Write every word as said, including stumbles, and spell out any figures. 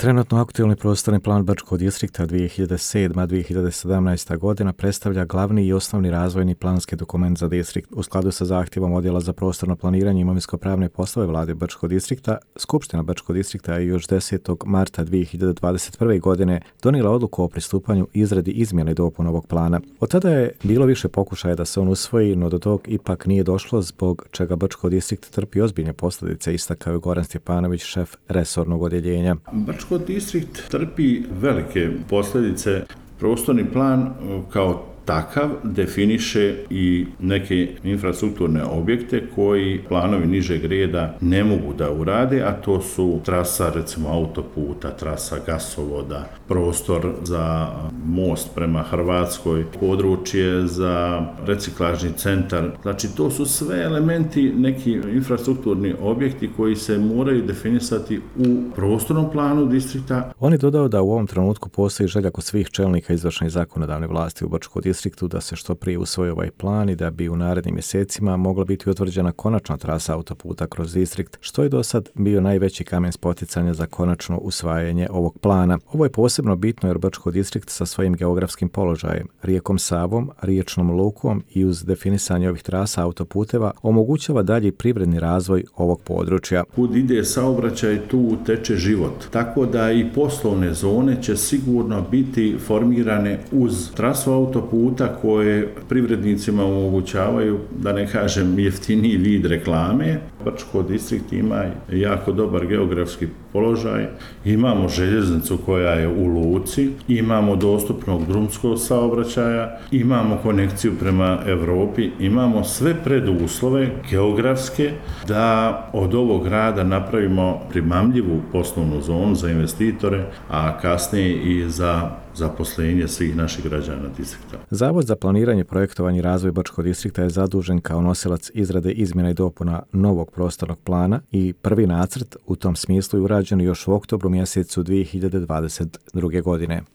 Trenutno aktualni prostorni plan Brčkog distrikta dvije hiljade sedma do dvije hiljade sedamnaesta godina predstavlja glavni i osnovni razvojni planski dokument za distrikt. U skladu sa zahtjevom Odjela za prostorno planiranje i imovinsko-pravne poslove Vlade Brčkog distrikta, Skupština Brčkog distrikta je još desetog marta dvije hiljade dvadeset prve. godine donijela odluku o pristupanju izradi izmjene i dopune ovog plana. Od tada je bilo više pokušaja da se on usvoji, no do tog ipak nije došlo, zbog čega Brčkog distrikt trpi ozbiljne posljedice, istakao je Goran Stjepanović, šef resornog odjeljenja. Brčko distrikt trpi velike posljedice. Prostorni plan kao takav definiše i neke infrastrukturne objekte koji planovi nižeg reda ne mogu da urade, a to su trasa recimo autoputa, trasa gasovoda, prostor za most prema Hrvatskoj, područje za reciklažni centar. Znači to su sve elementi, neki infrastrukturni objekti koji se moraju definisati u prostornom planu distrikta. On je dodao da u ovom trenutku postoji želja kod svih čelnika izvršne i zakonodavne vlasti u Brčkom distriktu da se što prije usvoji ovaj plan i da bi u narednim mjesecima mogla biti utvrđena konačna trasa autoputa kroz distrikt, što je do sad bio najveći kamen spoticanja za konačno usvajanje ovog plana. Ovo je posebno bitno jer Brčko distrikt sa svojim geografskim položajem, rijekom Savom, riječnom lukom i uz definisanje ovih trasa autoputeva omogućava dalji privredni razvoj ovog područja. Kud ide saobraćaj, tu teče život. Tako da i poslovne zone će sigurno biti formirane uz trasu autoputa koje privrednicima omogućavaju, da ne kažem, jeftiniji vid reklame. Brčko distrikt ima jako dobar geografski položaj. Imamo željeznicu koja je u luci, imamo dostupnog drumskog saobraćaja, imamo konekciju prema Europi, imamo sve preduslove geografske da od ovog grada napravimo primamljivu poslovnu zonu za investitore, a kasnije i za zaposlenje svih naših građana distrikta. Zavod za planiranje, projektovanje i razvoj Brčkog distrikta je zadužen kao nosilac izrade izmjena i dopuna novog prostornog plana i prvi nacrt u tom smislu je urađen još u oktobru mjesecu dvije hiljade dvadeset druge. godine.